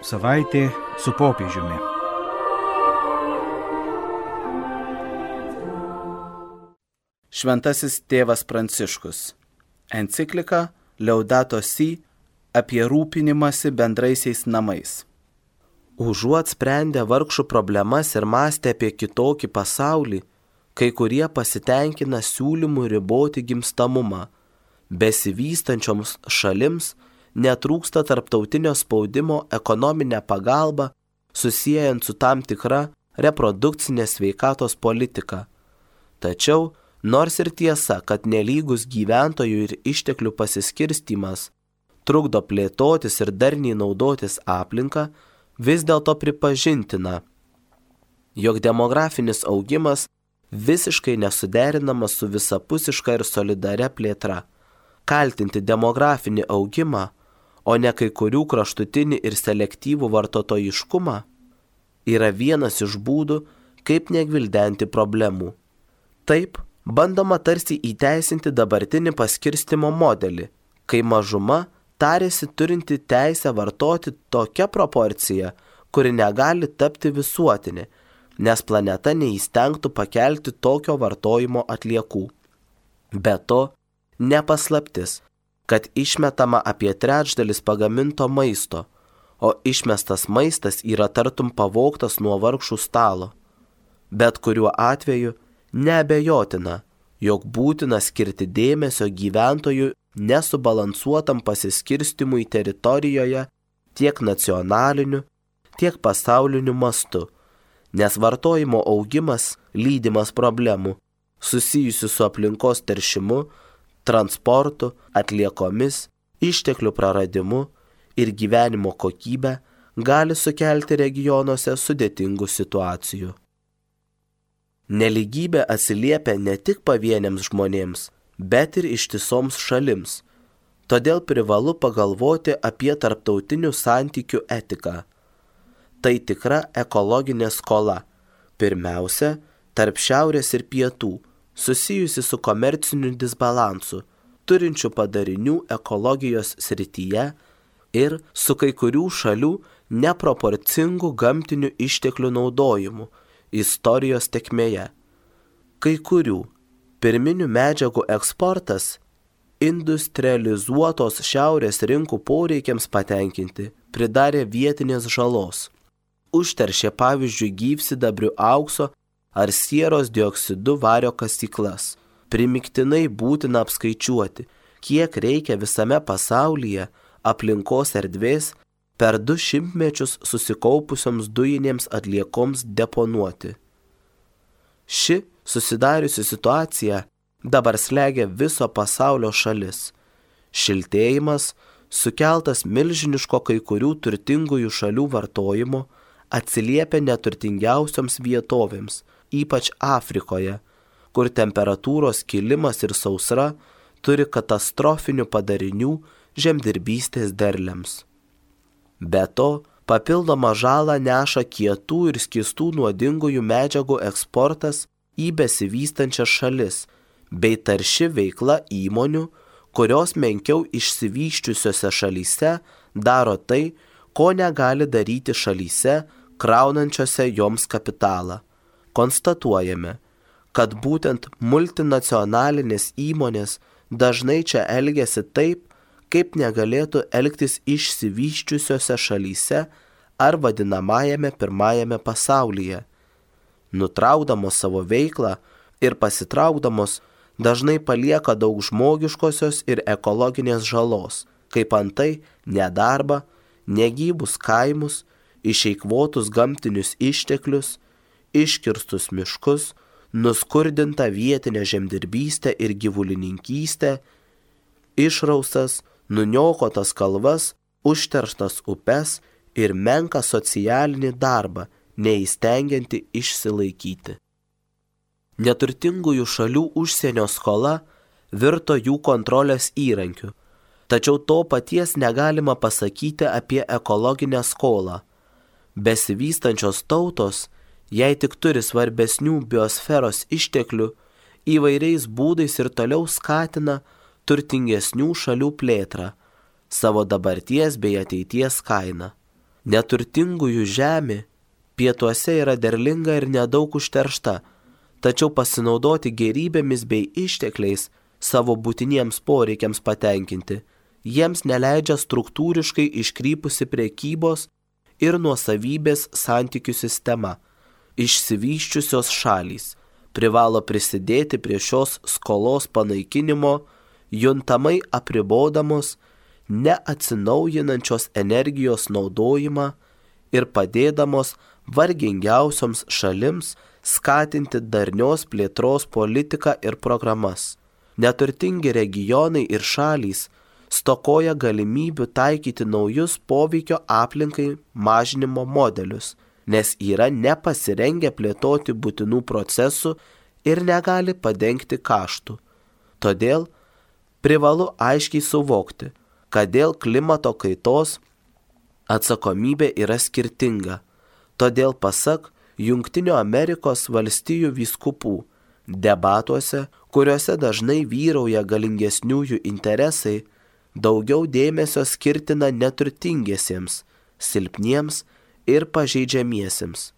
Savaitė su popiežiumi. Šventasis tėvas Pranciškus. Enciklika Laudato Si apie rūpinimąsi bendraisiais namais. Užuot sprendę vargšų problemas ir mąstę apie kitokį pasaulį, kai kurie pasitenkina siūlymu riboti gimstamumą. Besivystančioms šalims netrūksta tarptautinio spaudimo ekonominę pagalbą, susijęjant su tam tikra reprodukcinės sveikatos politika. Tačiau, nors ir tiesa, kad nelygus gyventojų ir išteklių pasiskirstymas trukdo plėtotis ir darniai naudotis aplinką, vis dėlto pripažintina, jog demografinis augimas visiškai nesuderinamas su visapusiška ir solidaria plėtra. Kaltinti demografinį augimą, o ne kai kurių kraštutinį ir selektyvų vartotojiškumą, yra vienas iš būdų, kaip negvildenti problemų. Taip, bandoma tarsi įteisinti dabartinį paskirstimo modelį, kai mažuma tarėsi turinti teisę vartoti tokią proporciją, kuri negali tapti visuotinė, nes planeta neįstengtų pakelti tokio vartojimo atliekų. Be to, nepaslaptis, kad išmetama apie trečdalis pagaminto maisto, o išmestas maistas yra tartum pavogtas nuo vargšų stalo. Bet kuriuo atveju neabejotina, jog būtina skirti dėmesio gyventojų nesubalansuotam pasiskirstimui teritorijoje tiek nacionaliniu, tiek pasauliniu mastu, nes vartojimo augimas lydimas problemų susijusių su aplinkos teršimu, transportu, atliekomis, išteklių praradimu ir gyvenimo kokybę gali sukelti regionuose sudėtingų situacijų. Nelygybė atsiliepia ne tik pavieniams žmonėms, bet ir ištisoms šalims. Todėl privalu pagalvoti apie tarptautinių santykių etiką. Tai tikra ekologinė skola, pirmiausia, tarp šiaurės ir pietų, susijusi su komerciniu disbalansu, turinčiu padarinių ekologijos srityje ir su kai kurių šalių neproporcingu gamtinių išteklių naudojimu istorijos tėkmėje. Kai kurių pirminių medžiagų eksportas industrializuotos šiaurės rinkų poreikiams patenkinti pridarė vietinės žalos. Užteršė pavyzdžiui gyvsidabrių aukso ar sieros dioksidu vario kasyklas. Primygtinai būtina apskaičiuoti, kiek reikia visame pasaulyje aplinkos erdvės per 200 mečius susikaupusioms dujinėms atliekoms deponuoti. Ši susidariusi situacija dabar slegia viso pasaulio šalis. Šiltėjimas, sukeltas milžiniško kai kurių turtingųjų šalių vartojimo, atsiliepia neturtingiausioms vietovėms, ypač Afrikoje, kur temperatūros kilimas ir sausra turi katastrofinių padarinių žemdirbystės derliams. Be to, papildomą žalą neša kietų ir skystų nuodingųjų medžiagų eksportas į besivystančias šalis, bei tarši veikla įmonių, kurios menkiau išsivysčiusiose šalyse daro tai, ko negali daryti šalyse, kraunančiose joms kapitalą. Konstatuojame, kad būtent multinacionalinės įmonės dažnai čia elgiasi taip, kaip negalėtų elgtis išsivysčiusiose šalyse ar vadinamajame pirmajame pasaulyje. Nutraukdamos savo veiklą ir pasitraukdamos dažnai palieka daug žmogiškosios ir ekologinės žalos, kaip antai nedarbą, negyvus kaimus, išeikvotus gamtinius išteklius, iškirstus miškus, nuskurdintą vietinę žemdirbystę ir gyvulininkystę, išraustas, nuniokotas kalvas, užterštas upes ir menką socialinį darbą, neįstengianti išsilaikyti. Neturtingųjų šalių užsienio skola virto jų kontrolės įrankiu, tačiau to paties negalima pasakyti apie ekologinę skolą. Besivystančios tautos, jei tik turi svarbesnių biosferos išteklių, įvairiais būdais ir toliau skatina turtingesnių šalių plėtrą, savo dabarties bei ateities kainą. Neturtingųjų žemė pietuose yra derlinga ir nedaug užteršta, tačiau pasinaudoti gėrybėmis bei ištekliais savo būtiniems poreikiams patenkinti jiems neleidžia struktūriškai iškrypusi prekybos ir nuosavybės santykių sistema. Išsivysčiusios šalys privalo prisidėti prie šios skolos panaikinimo, juntamai apribodamos neatsinaujinančios energijos naudojimą ir padėdamos vargingiausioms šalims skatinti darnios plėtros politiką ir programas. Neturtingi regionai ir šalys stokoja galimybių taikyti naujus poveikio aplinkai mažinimo modelius, nes yra nepasirengę plėtoti būtinų procesų ir negali padengti kaštų. Todėl privalu aiškiai suvokti, kad dėl klimato kaitos atsakomybė yra skirtinga. Todėl pasak Jungtinių Amerikos valstijų vyskupų, debatuose, kuriuose dažnai vyrauja galingesniųjų interesai, daugiau dėmesio skirtina neturtingiesiems, silpniems ir pažeidžiamiesiems.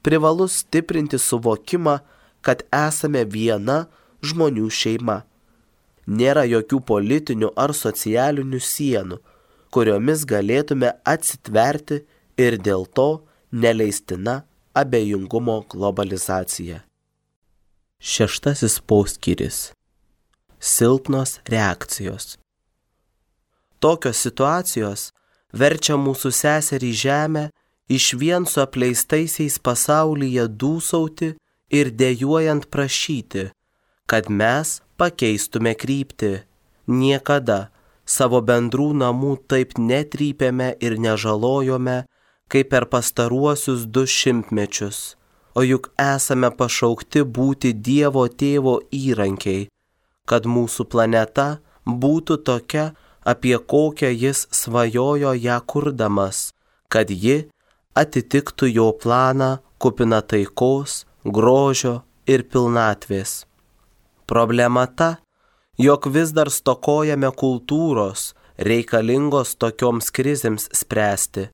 Privalu stiprinti suvokimą, kad esame viena žmonių šeima. Nėra jokių politinių ar socialinių sienų, kuriomis galėtume atsitverti ir dėl to neleistina abejingumo globalizacija. 6 poskyris. Silpnos reakcijos. Tokios situacijos verčia mūsų seserį žemę išvien su apleistaisiais pasaulyje dūsauti ir dejuojant prašyti, kad mes pakeistume kryptį. Niekada savo bendrų namų taip netrypėme ir nežalojome, kaip per pastaruosius 200 mečius. O juk esame pašaukti būti Dievo Tėvo įrankiai, kad mūsų planeta būtų tokia, apie kokią jis svajojo ją kurdamas, kad ji atitiktų jo planą kupiną taikos, grožio ir pilnatvės. Problema ta, jog vis dar stokojame kultūros, reikalingos tokioms krizėms spręsti.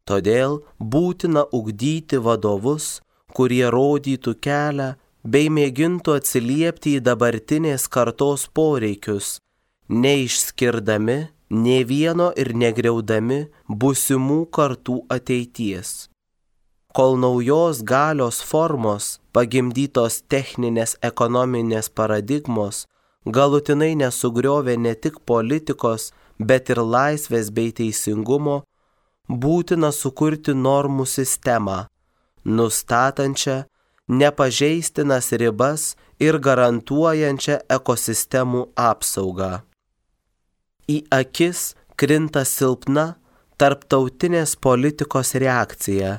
Todėl būtina ugdyti vadovus, kurie rodytų kelią bei mėgintų atsiliepti į dabartinės kartos poreikius, neišskirdami nė vieno ir negriaudami būsimų kartų ateities. Kol naujos galios formos, pagimdytos techninės ekonominės paradigmos, galutinai nesugriovė ne tik politikos, bet ir laisvės bei teisingumo, būtina sukurti normų sistemą, nustatančią nepažeistinas ribas ir garantuojančią ekosistemų apsaugą. Į akis krinta silpna tarptautinės politikos reakcija.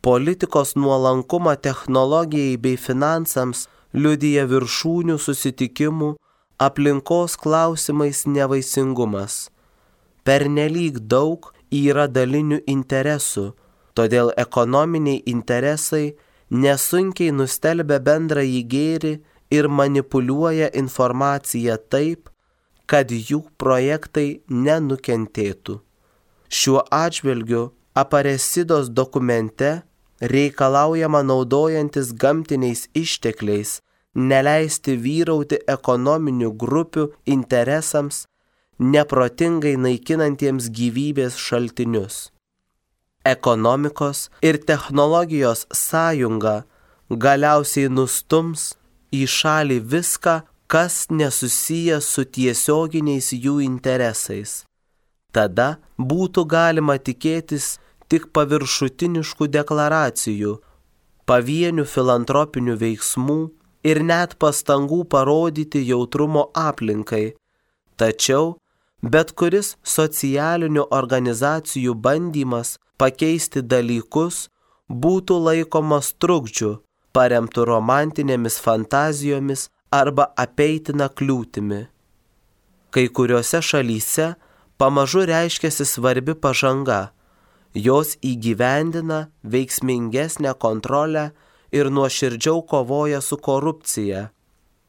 Politikos nuolankumą technologijai bei finansams liudija viršūnių susitikimų aplinkos klausimais nevaisingumas. Pernelyg daug yra dalinių interesų, todėl ekonominiai interesai nesunkiai nustelbia bendrąjį gėrį ir manipuliuoja informaciją taip, kad jų projektai nenukentėtų. Šiuo atžvilgiu Aparesidos dokumente reikalaujama naudojantis gamtiniais ištekliais neleisti vyrauti ekonominių grupių interesams, neprotingai naikinantiems gyvybės šaltinius. Ekonomikos ir technologijos sąjunga galiausiai nustums į šalį viską, kas nesusiję su tiesioginiais jų interesais. Tada būtų galima tikėtis tik paviršutiniškų deklaracijų, pavienių filantropinių veiksmų ir net pastangų parodyti jautrumo aplinkai. Tačiau bet kuris socialinių organizacijų bandymas pakeisti dalykus būtų laikomas trukdžiu, paremtu romantinėmis fantazijomis arba apeitina kliūtimi. Kai kuriuose šalyse pamažu reiškiasi svarbi pažanga. Jos įgyvendina veiksmingesnę kontrolę ir nuoširdžiau kovoja su korupcija.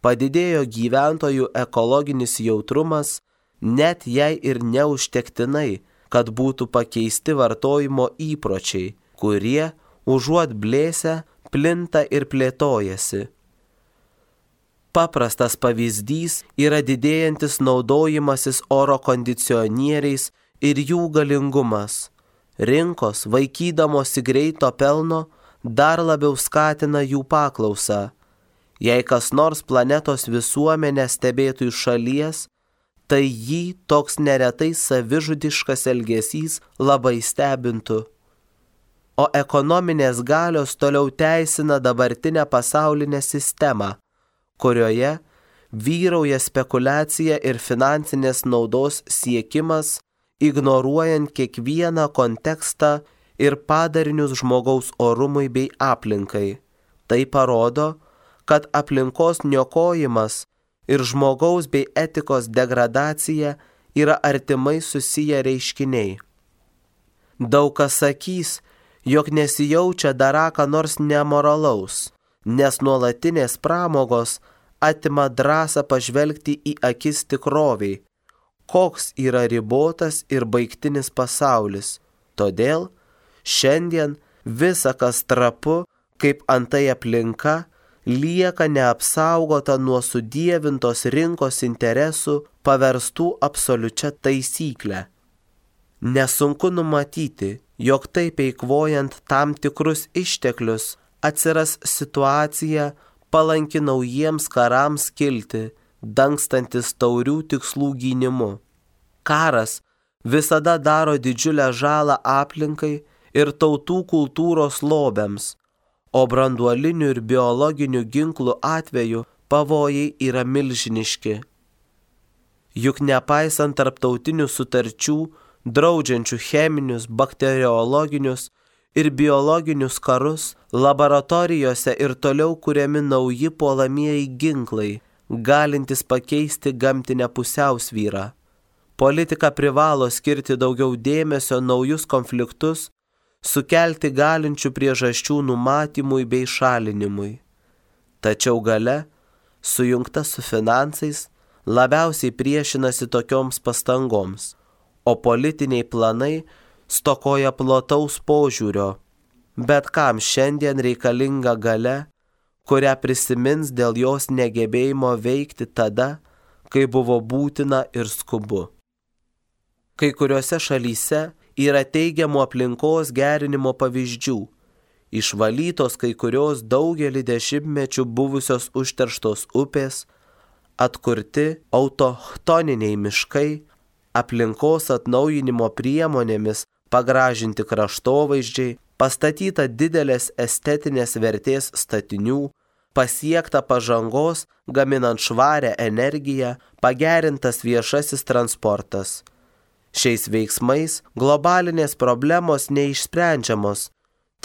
Padidėjo gyventojų ekologinis jautrumas, net jei ir neužtektinai, kad būtų pakeisti vartojimo įpročiai, kurie, užuot blėsę, plinta ir plėtojasi. Paprastas pavyzdys yra didėjantis naudojimasis oro kondicionieriais ir jų galingumas. Rinkos, vaikydamosi greito pelno, dar labiau skatina jų paklausą. Jei kas nors planetos visuomenę stebėtų iš šalies, tai jį toks neretai savižudiškas elgesys labai stebintų. O ekonominės galios toliau teisina dabartinę pasaulinę sistemą, kurioje vyrauja spekulacija ir finansinės naudos siekimas, ignoruojant kiekvieną kontekstą ir padarinius žmogaus orumui bei aplinkai. Tai parodo, kad aplinkos niokojimas ir žmogaus bei etikos degradacija yra artimai susiję reiškiniai. Daug kas sakys, jog nesijaučia darą ką nors nemoralaus, nes nuolatinės pramogos atima drąsą pažvelgti į akis tikroviai, koks yra ribotas ir baigtinis pasaulis. Todėl šiandien visa, kas trapu, kaip antai aplinka, lieka neapsaugota nuo sudievintos rinkos interesų paverstų absoliučia taisyklę. Nesunku numatyti, jog taip eikvojant tam tikrus išteklius atsiras situacija palanki naujiems karams kilti, dangstantis taurių tikslų gynimu. Karas visada daro didžiulę žalą aplinkai ir tautų kultūros lobiams, o branduolinių ir biologinių ginklų atveju pavojai yra milžiniški. Juk nepaisant tarptautinių sutarčių, draudžiančių cheminius, bakteriologinius ir biologinius karus, laboratorijose ir toliau kuriami nauji puolamieji ginklai, galintys pakeisti gamtinę pusiausvyrą. Politika privalo skirti daugiau dėmesio naujus konfliktus, sukelti galinčių priežasčių numatymui bei šalinimui. Tačiau galia, sujungta su finansais, labiausiai priešinasi tokioms pastangoms, o politiniai planai stokoja plataus požiūrio. Bet kam šiandien reikalinga galia, kurią prisimins dėl jos negebėjimo veikti tada, kai buvo būtina ir skubu. Kai kuriuose šalyse yra teigiamų aplinkos gerinimo pavyzdžių. Išvalytos kai kurios daugelį dešimtmečių buvusios užterštos upės, atkurti autochtoniniai miškai, aplinkos atnaujinimo priemonėmis pagražinti kraštovaizdžiai, pastatyta didelės estetinės vertės statinių, pasiekta pažangos gaminant švarią energiją, pagerintas viešasis transportas. Šiais veiksmais globalinės problemos neišsprendžiamos,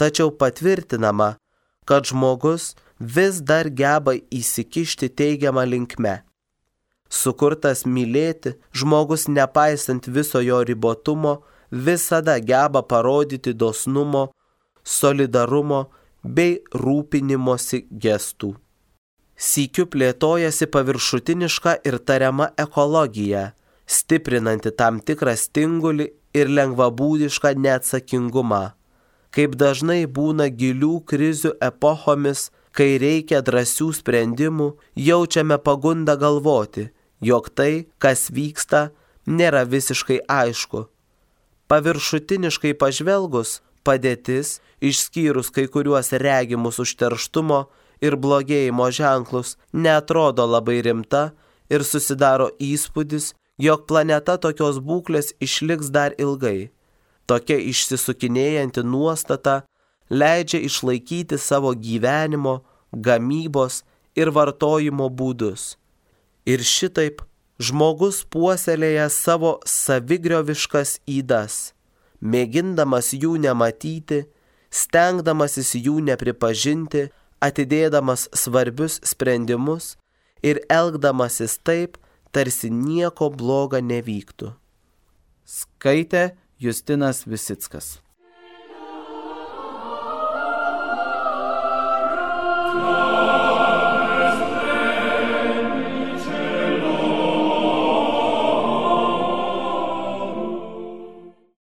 tačiau patvirtinama, kad žmogus vis dar geba įsikišti teigiamą linkme. Sukurtas mylėti, žmogus nepaisant viso jo ribotumo, visada geba parodyti dosnumo, solidarumo bei rūpinimosi gestų. Sykiu plėtojasi paviršutiniška ir tariama ekologija, stiprinanti tam tikrą stingulį ir lengvabūdišką neatsakingumą. Kaip dažnai būna gilių krizių epochomis, kai reikia drąsių sprendimų, jaučiame pagundą galvoti, jog tai, kas vyksta, nėra visiškai aišku. Paviršutiniškai pažvelgus, padėtis, išskyrus kai kuriuos regimus užterštumo ir blogėjimo ženklus, neatrodo labai rimta ir susidaro įspūdis, jog planeta tokios būklės išliks dar ilgai. Tokia išsisukinėjanti nuostata leidžia išlaikyti savo gyvenimo, gamybos ir vartojimo būdus. Ir šitaip žmogus puoselėja savo savigrioviškas ydas, mėgindamas jų nematyti, stengdamasis jų nepripažinti, atidėdamas svarbius sprendimus ir elgdamasis taip, tarsi nieko bloga nevyktų. Skaitė Justinas Visickas.